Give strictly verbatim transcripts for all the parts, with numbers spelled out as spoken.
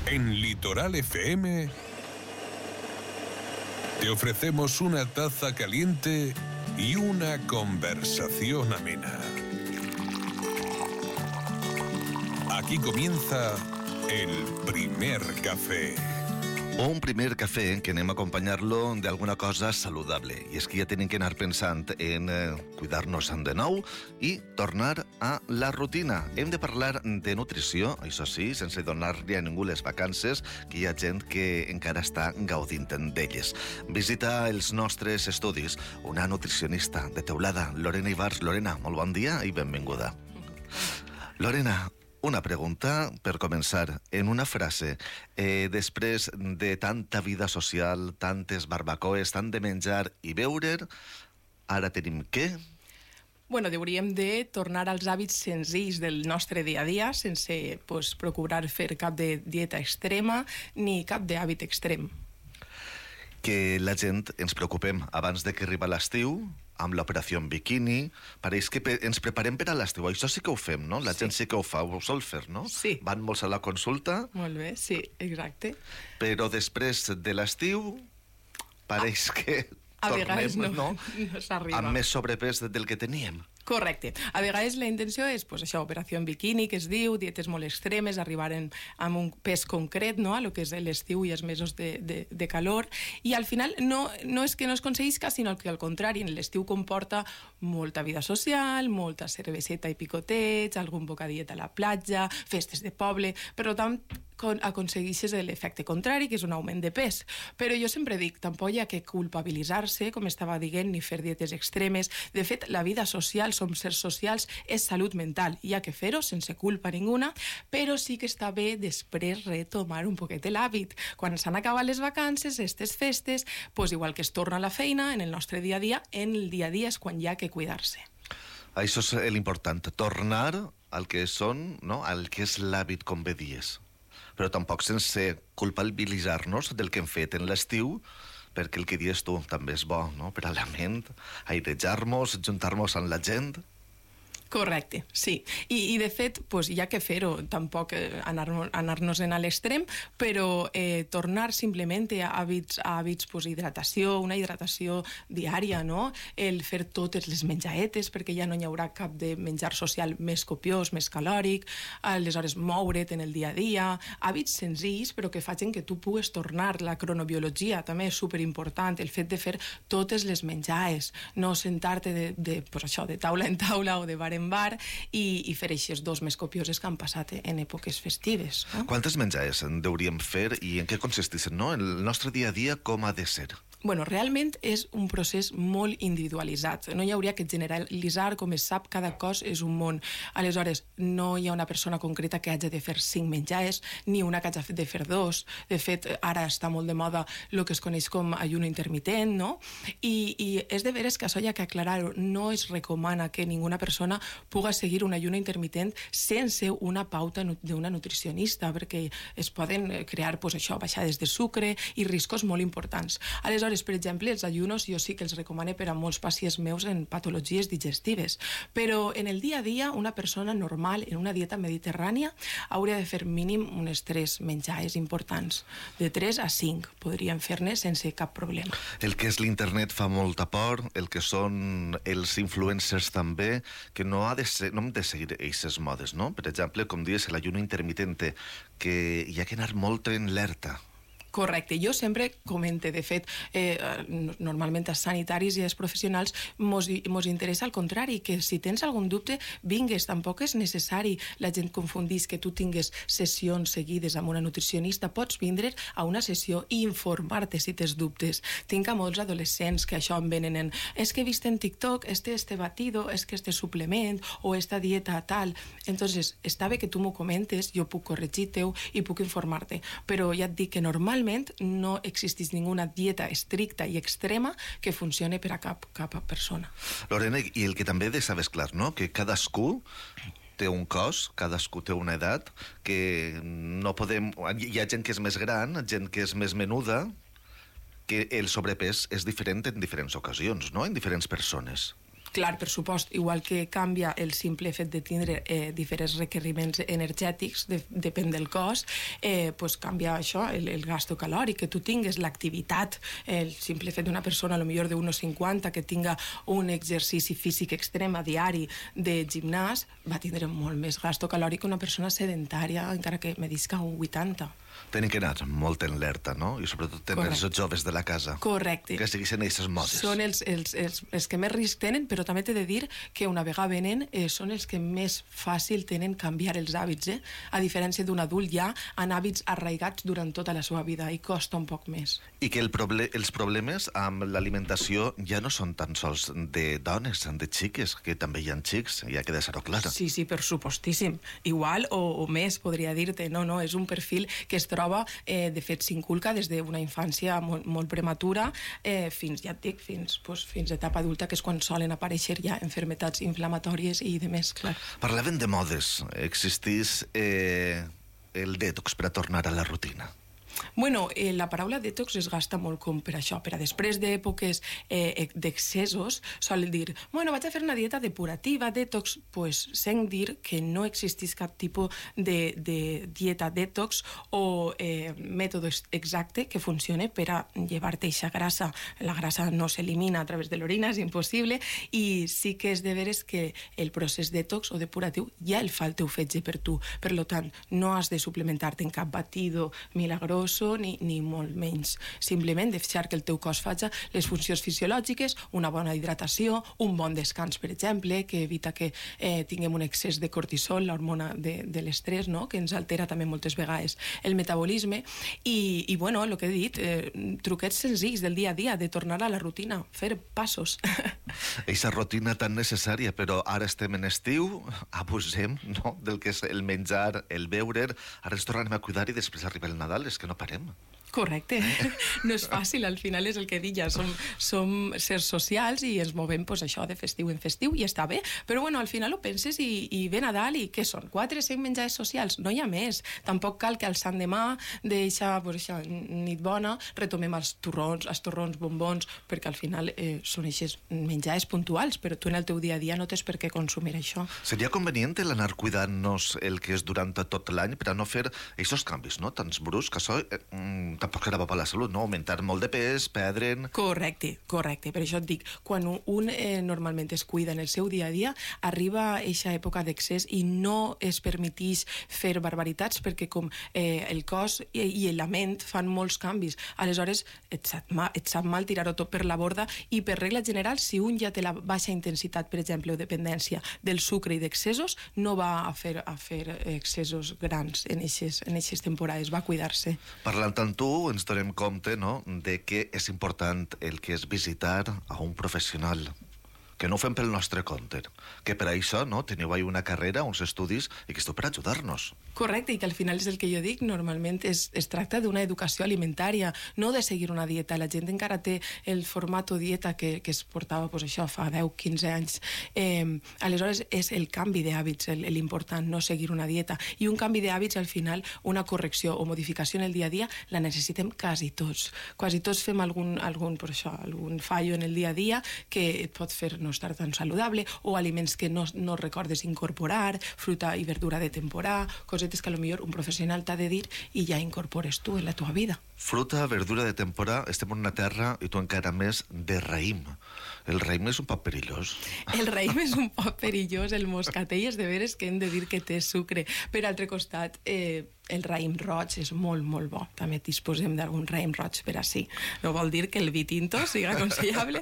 En Litoral F M te ofrecemos una taza caliente y una conversación amena. Aquí comienza el primer café. Un primer cafè que anem a acompanyar-lo d'alguna cosa saludable. I és que ja tenim que anar pensant en eh, cuidar-nos de nou i tornar a la rutina. Hem de parlar de nutrició, això sí, sense donar-li a ningú les vacances, que hi ha gent que encara està gaudint d'elles. Visita els nostres estudis una nutricionista de Teulada, Lorena Ibars. Lorena, molt bon dia i benvinguda. Lorena, una pregunta per començar, en una frase. Eh, després de tanta vida social, tantes barbacoes, tant de menjar i beure, ara tenim què? Bueno, hauríem de tornar als hàbits senzills del nostre dia a dia, sense pues, procurar fer cap de dieta extrema ni cap d'hàbit extrem. Que la gent ens preocupem abans de que arriba l'estiu, amb l'operació en biquini, pareix que ens preparem per a l'estiu. Això sí que ho fem, no? La sí. gent sí que ho fa, ho sol fer, no? Sí. Van molts a la consulta. Molt bé, sí, exacte. Però després de l'estiu, pareix ah, que a tornem, vegades no, no? no s'arriba. Amb més sobrepès del que teníem. Correcte. A vegades la intenció és, pues, això, operació en biquini, que es diu, dietes molt extremes, arribar en, amb un pes concret, no?, a lo que és l'estiu i els mesos de, de, de calor, i al final no, no és que no es aconseguisca, sinó que al contrari, l'estiu comporta molta vida social, molta cerveseta i picoteig, algun bocadiet a la platja, festes de poble, per tant, aconsegueixes l'efecte contrari, que és un augment de pes. Però jo sempre dic, tampoc hi ha que culpabilitzar-se, com estava dient, ni fer dietes extremes. De fet, la vida social, som sers socials, és salut mental. Hi ha que fer-ho sense culpa ninguna, però sí que està bé després retomar un poquet l'hàbit. Quan s'han acabat les vacances, aquestes festes, pues, igual que es torna a la feina, en el nostre dia a dia, en el dia a dia és quan hi ha que cuidar-se. Això és l'important, tornar al que són, no?, al que és l'hàbit, com bé dies. Però tampoc sense culpabilitzar-nos del que hem fet en l'estiu, perquè el que dius tu també és bo, no?, per a la ment, airejar-nos, juntar-nos amb la gent. Correcte, sí. I, i de fet, pues, hi ha que fer-ho, tampoc eh, anar-nos anar a l'extrem, però eh, tornar simplement a hàbits, a hàbits pues, hidratació, una hidratació diària, no? El fer totes les menjaetes, perquè ja no hi haurà cap de menjar social més copiós, més calòric, aleshores moure't en el dia a dia, hàbits senzills, però que facin que tu pugues tornar. La cronobiologia també és superimportant, el fet de fer totes les menjaes, no sentar-te de, de, pues, això, de taula en taula o de bar en bar i, i fer eixes dos més copioses que han passat en èpoques festives. No? Quantes menjades en hauríem fer i en què consisteixen, no? El nostre dia a dia com ha de ser? Bueno, realment és un procés molt individualitzat. No hi hauria que generalitzar, com es sap, cada cos és un món. Aleshores, no hi ha una persona concreta que hagi de fer cinc menjars, ni una que hagi de fer dos. De fet, ara està molt de moda el que es coneix com ayuno intermitent, no? I, i és de veres que això hi ha que aclarar-ho. No es recomana que ninguna persona puga seguir un ayuno intermitent sense una pauta d'una nutricionista, perquè es poden crear, pues, això, baixades de sucre i riscos molt importants. Aleshores, per exemple, els ayunos jo sí que els recomano per a molts pacients meus en patologies digestives, però en el dia a dia una persona normal en una dieta mediterrània hauria de fer mínim unes tres menjades importants, de tres a cinc podrien fer-ne sense cap problema. El que és l'internet fa molta por, el que són els influencers també, que no, ha de ser, no hem de seguir aquestes modes, no? Per exemple, com dius, l'ayuno intermitente, que hi ha que anar molt en alerta. Correcte. Jo sempre comente, de fet, eh, normalment als sanitaris i als professionals mos, mos interessa al contrari, que si tens algun dubte, vingues, tampoc és necessari. La gent confundís que tu tingues sessions seguides amb una nutricionista, pots vindre a una sessió i informar-te si tens dubtes. Tinc a molts adolescents que això em venen en és que he vist en TikTok este, este batido, és que este suplement o esta dieta tal. Entonces, està bé que tu m'ho comentes, jo puc corregir-te-ho i puc informar-te, però ja et dic que normalment no existeix ninguna dieta estricta i extrema que funcione per a cap, cap persona. Lorena, i el que també de saber és clar, no?, que cadascú té un cos, cadascú té una edat, que no podem... Hi ha gent que és més gran, gent que és més menuda, que el sobrepès és diferent en diferents ocasions, no?, en diferents persones. Clar, per supost, igual que canvia el simple fet de tindre eh, diferents requeriments energètics, de, depèn del cos, eh, pues canvia això, el, el gasto calòric, que tu tingues l'activitat, el simple fet d'una persona, a lo millor de uno cinquanta, que tinga un exercici físic extrem a diari de gimnàs, va tindre molt més gasto calòric que una persona sedentària, encara que medisca un vuitanta. Tenen que anar molt en alerta, no? I sobretot tenen els joves de la casa. Correcte. Que segueixen aquestes modes. Són els, els, els, els que més risc tenen, però també t'he de dir que una vegada venen eh, són els que més fàcil tenen canviar els hàbits, eh? A diferència d'un adult ja en hàbits arraigats durant tota la seva vida i costa un poc més. I que el proble els problemes amb l'alimentació ja no són tan sols de dones, de xiques, que també hi ha xics, ja queda ser-ho clara. Sí, sí, per supostíssim. Igual o, o més, podria dir-te. No, no, és un perfil que es troba, eh, de fet, s'inculca des d'una infància molt, molt prematura eh, fins, ja et dic, fins, pues, fins a etapa adulta, que és quan solen aparèixer ja enfermetats inflamatòries i de més, clar. Parlaven de modes. Existís eh, el detox per a tornar a la rutina. Bueno, eh, la paraula detox es gasta molt com per això, per a després d'èpoques eh, d'excessos, solen dir, bueno, vaig a fer una dieta depurativa, detox, pues sent dir que no existís cap tipus de, de dieta detox o eh, mètode exacte que funcione per a llevar-te eixa grassa. La grassa no s'elimina a través de l'orina, és impossible, i sí que és de veres que el procés detox o depuratiu ja el fa el teu fetge per tu. Per tant, no has de suplementar-te en cap batido milagrós Ni, ni molt menys. Simplement deixar que el teu cos faci les funcions fisiològiques, una bona hidratació, un bon descans, per exemple, que evita que eh, tinguem un excés de cortisol, l'hormona de, de l'estrès, no? Que ens altera també moltes vegades el metabolisme. I, i bueno, el que he dit, eh, truquets senzills del dia a dia, de tornar a la rutina, fer passos. Eixa rutina tan necessària, però ara estem en estiu, abusem, no?, del que és el menjar, el beure, ara ens tornem a cuidar i després arriba el Nadal, és que no parem. Correcte. No és fàcil, al final és el que dic ja, som, som sers socials i ens movem pues, això de festiu en festiu i està bé, però bueno, al final ho penses i, i ve Nadal i què són? Quatre, cinc menjars socials? No hi ha més. Tampoc cal que al Sant demà d'eixa pues, nit bona retomem els torrons, els torrons, bombons, perquè al final eh, són eixes menjars puntuals, però tu en el teu dia a dia no tens per què consumir això. Seria convenient l'anar cuidant-nos el que és durant tot l'any per a no fer aquests canvis, no?, tants bruscs, que això eh, tampoc era bo per la salut, no? Augmentar molt de pes, perdre'n... Correcte, correcte. Per això et dic, quan un eh, normalment es cuida en el seu dia a dia, arriba eixa època d'excés i no es permeteix fer barbaritats perquè com eh, el cos i, i la ment fan molts canvis. Aleshores, et sap mal, et sap mal tirar-ho tot per la borda i per regla general, si un ja té la baixa intensitat, per exemple, o dependència del sucre i d'excessos, no va a fer, a fer excessos grans en eixes, en eixes temporades, va a cuidar-se. Parlant amb tu, ens donem compte, no?, de que és important el que és visitar a un professional, que no ho fem pel nostre compte, que per això no teniu ahí una carrera, uns estudis, i que esteu per ajudar-nos. Correcte, i que al final és el que jo dic, normalment es, es tracta d'una educació alimentària, no de seguir una dieta. La gent encara té el format dieta que, que es portava pues, això fa deu a quinze anys. Eh, aleshores és el canvi d'hàbits l'important, no seguir una dieta. I un canvi d'hàbits, al final, una correcció o modificació en el dia a dia, la necessitem quasi tots. Quasi tots fem algun, algun, per això, algun fallo en el dia a dia que et pot fer no estar tan saludable, o aliments que no, no recordes incorporar, fruta i verdura de temporada, cosetes que potser un professional t'ha de dir i ja incorpores tu en la teva vida. Fruta, verdura de temporada, estem en una terra, i tu encara més, de raïm. El raïm és un poc perillós. El raïm és un poc perillós, el moscatell és de veres que hem de dir que té sucre. Per altre costat, eh, el raïm roig és molt, molt bo. També disposem d'algun raïm roig per així. No vol dir que el vi tinto sigui aconsellable,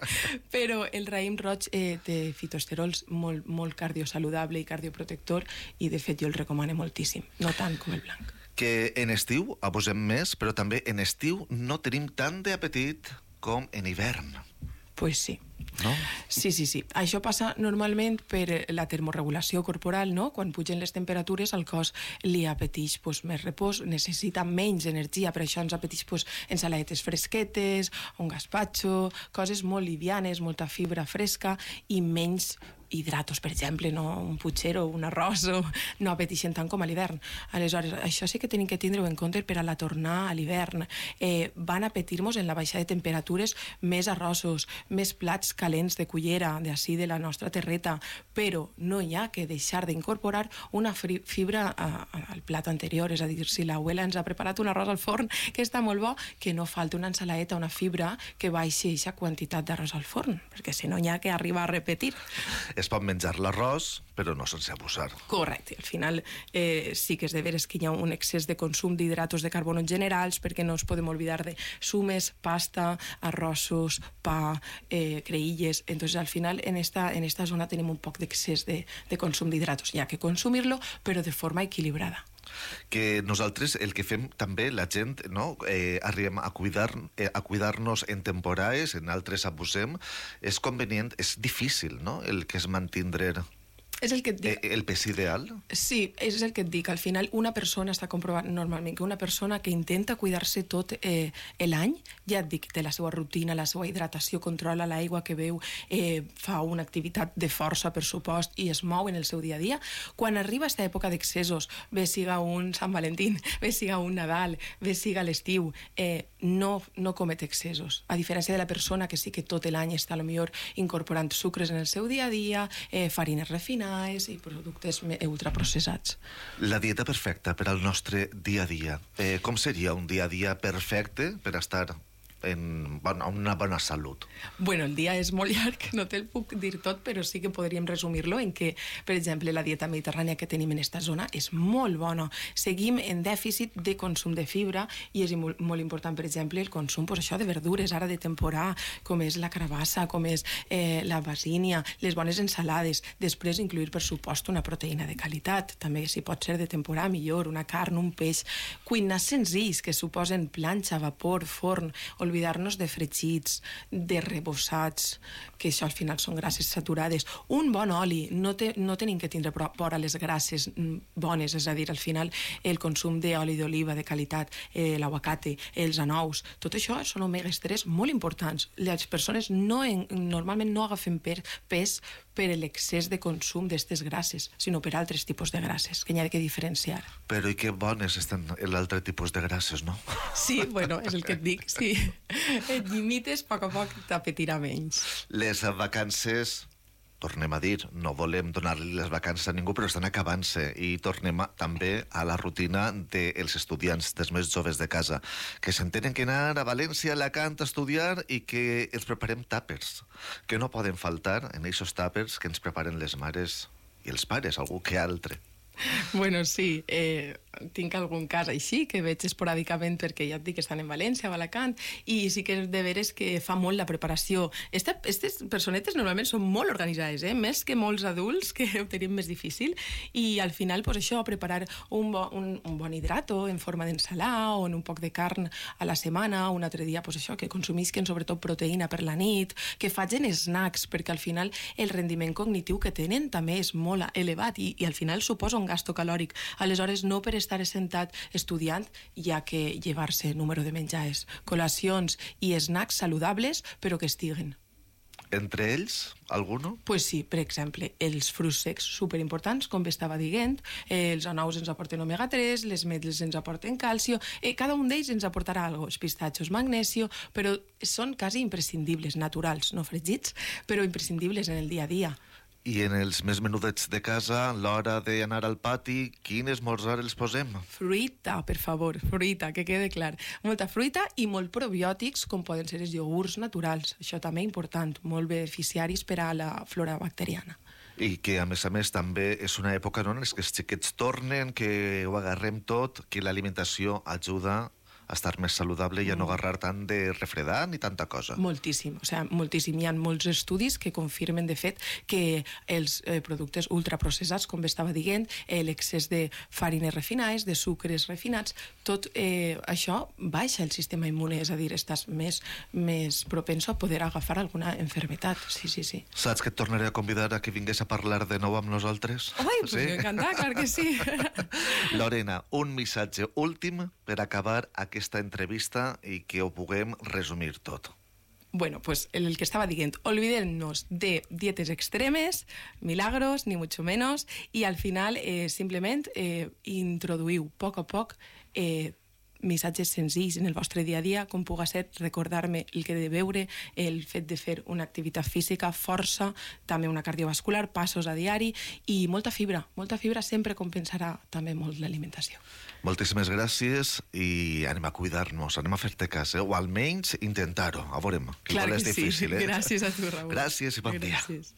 però el raïm roig eh, té fitoesterols molt, molt cardiosaludable i cardioprotector, i de fet jo el recomano moltíssim, no tant com el blanc. Que en estiu abusem més, però també en estiu no tenim tant d'apetit com en hivern. Pues sí. No? Sí, sí, sí. Això passa normalment per la termorregulació corporal, no? Quan pugen les temperatures, el cos li apeteix pues, més repòs, necessita menys energia, per això ens apeteix pues, ensaladetes fresquetes, un gazpacho, coses molt livianes, molta fibra fresca i menys hidratos, per exemple, no un putxero, un arròs, o no apeteixen tant com a l'hivern. Aleshores, això sí que tenim que tindre-ho en compte per a la tornar a l'hivern. Eh, van apetir-nos en la baixada de temperatures més arrossos, més plats calents de cullera, d'ací de la nostra terreta, però no hi ha que deixar d'incorporar una fibra a, a, al plat anterior, és a dir, si l'abuela ens ha preparat un arròs al forn que està molt bo, que no falti una ensaladeta, una fibra que baixi aquesta quantitat d'arròs al forn, perquè si no hi ha que arribar a repetir. Es pot menjar l'arròs, però no sense abusar. Correcte. Al final eh, sí que és de veres que hi ha un excés de consum d'hidratos de carbono generals, perquè no ens podem oblidar de sumes, pasta, arrossos, pa, eh, creïlles. Entonces, al final, en esta, en esta zona tenim un poc d'excés de, de consum d'hidratos. Hi ha que consumir-lo, però de forma equilibrada. Que nosaltres el que fem també, la gent, no? eh, arribem a cuidar, eh, a cuidar-nos en temporades, en altres abusem, és convenient, és difícil, no?, el que és mantindre És el que et dic. el pes ideal. Sí, és el que et dic. Al final, una persona està comprovant normalment que una persona que intenta cuidar-se tot eh, l'any, ja et dic, té la seva rutina, la seva hidratació, controla l'aigua que beu, eh, fa una activitat de força, per supost, i es mou en el seu dia a dia. Quan arriba aquesta època d'excessos, bé siga un Sant Valentín, bé siga un Nadal, bé siga l'estiu, eh, no, no comet excessos. A diferència de la persona que sí que tot l'any està potser incorporant sucres en el seu dia a dia, eh, farines refinades i productes ultraprocessats. La dieta perfecta per al nostre dia a dia. Eh, com seria un dia a dia perfecte per estar en bona, una bona salut? Bueno, el dia és molt llarg, no te'l puc dir tot, però sí que podríem resumir-lo en que, per exemple, la dieta mediterrània que tenim en aquesta zona és molt bona. Seguim en dèficit de consum de fibra i és molt, molt important, per exemple, el consum, pues, això de verdures, ara de temporada, com és la carabassa, com és eh, la basínia, les bones ensalades. Després incluir, per supost, una proteïna de qualitat, també si pot ser de temporada millor, una carn, un peix. Cuinars senzills que suposen planxa, vapor, forn, oblidar-nos de fregits, de rebossats, que això al final són grasses saturades. Un bon oli, no, te, no tenim que tindre por a les grasses bones, és a dir, al final el consum d'oli d'oliva de qualitat, eh, l'aguacate, els anous, tot això són omegues tres molt importants. Les persones no en, normalment no agafen per, pes per l'excés de consum d'aquestes grasses, sinó per altres tipus de grasses, que n'hi ha que diferenciar. Però i que bones estan l'altre tipus de grasses, no? Sí, bueno, és el que et dic, sí. Et limites, a poc a poc t'apetirà menys. Les vacances, tornem a dir, no volem donar-li les vacances a ningú, però estan acabant-se i tornem a, també a la rutina dels estudiants, dels més joves de casa, que s'entenen que anar a València, a Alacant a estudiar i que els preparem tàpers, que no poden faltar en aquests tàpers que ens preparen les mares i els pares, algú que altre. Bueno, sí, eh, tinc algun cas així que veig esporàdicament perquè ja et dic que estan en València o Alacant i sí que és de veres que fa molt la preparació. Aquestes personetes normalment són molt organitzades, eh? Més que molts adults que ho tenim més difícil i al final pues, això, preparar un, bo, un, un bon hidrato en forma d'ensalà o en un poc de carn a la setmana, un altre dia pues, això, que consumisquen sobretot proteïna per la nit, que facin snacks perquè al final el rendiment cognitiu que tenen també és molt elevat i, i al final suposa un gasto calòric. Aleshores, no per estar sentat estudiant hi ha que llevar-se número de menjars, col·lacions i snacks saludables, però que estiguen. Entre ells, alguno? Pues sí, per exemple, els fruits secs superimportants, com bé estava dient, eh, els anous ens aporten omega tres, les metles ens aporten calcio, eh, cada un d'ells ens aportarà alguna cosa, els pistatxos, magnesio, però són quasi imprescindibles, naturals, no fregits, però imprescindibles en el dia a dia. I en els més menudets de casa, a l'hora d'anar al pati, quin esmorzar els posem? Fruita, per favor, fruita, que quede clar. Molta fruita i molt probiòtics, com poden ser els iogurts naturals. Això també important, molt beneficiaris per a la flora bacteriana. I que, a més a més, també és una època no, en què els xiquets tornen, que ho agarrem tot, que l'alimentació ajuda a estar més saludable i a no agarrar tant de refredar ni tanta cosa. Moltíssim, o sigui, moltíssim. Hi ha molts estudis que confirmen, de fet, que els eh, productes ultraprocessats, com estava dient, eh, l'excés de farines refinades, de sucres refinats, tot eh, això baixa el sistema immune, és a dir, estàs més, més propenso a poder agafar alguna enfermetat. Sí, sí, sí. Saps que et tornaré a convidar a que vingués a parlar de nou amb nosaltres? Ai, pues sí? M'encanta, clar que sí. Lorena, un missatge últim per acabar aquesta entrevista i que ho puguem resumir tot. Bueno, pues el que estaba diciendo, olvidémonos de dietes extremes, milagros, ni mucho menos, y al final eh, simplement eh, introduïu a poc a poc eh, missatges senzills en el vostre dia a dia, com puga ser recordar-me el que he de beure, el fet de fer una activitat física, força, també una cardiovascular, passos a diari i molta fibra. Molta fibra sempre compensarà també molt l'alimentació. Moltíssimes gràcies i anem a cuidar-nos, anem a fer-te cas, eh? O almenys intentar-ho, a veurem. Clar que és difícil, sí. Eh? Gràcies a tu, Raül. Gràcies i bon dia. Gràcies.